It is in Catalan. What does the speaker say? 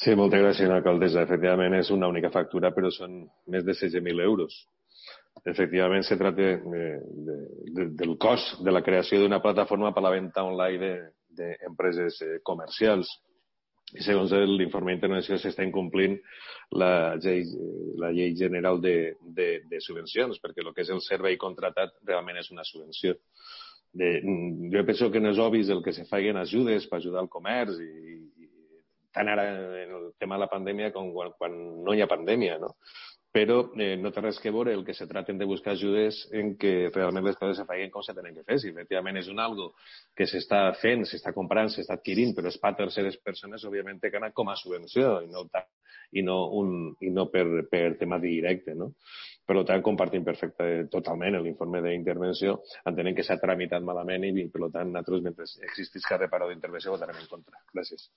Sí, moltes gràcies, alcaldessa. Efectivament, és una única factura, però són més de 16.000 euros. Efectivament, se trata del cost de la creació d'una plataforma per a la venda online d'empreses comercials. I segons l'informe d'intervenció s'està incomplint la llei general de subvencions, perquè el que és el servei contratat realment és una subvenció. Jo penso que no és obvi el que se facin ajudes per ajudar al comerç i tant ara en el tema de la pandèmia com quan no hi ha pandèmia, no? Però no té res que veure el que se traten de buscar ajudes en que realment les coses se facin com se tenen que fer. Si efectivament és un algo que s'està fent, s'està comprant, s'està adquirint, però és per terceres persones, òbviament té que anar com a subvenció i no per tema directe, no? Per tant, compartim totalment l'informe d'intervenció, entenent que s'ha tramitat malament i, per tant, nosaltres, mentre existís cap reparador d'intervenció, votarem en contra. Gràcies.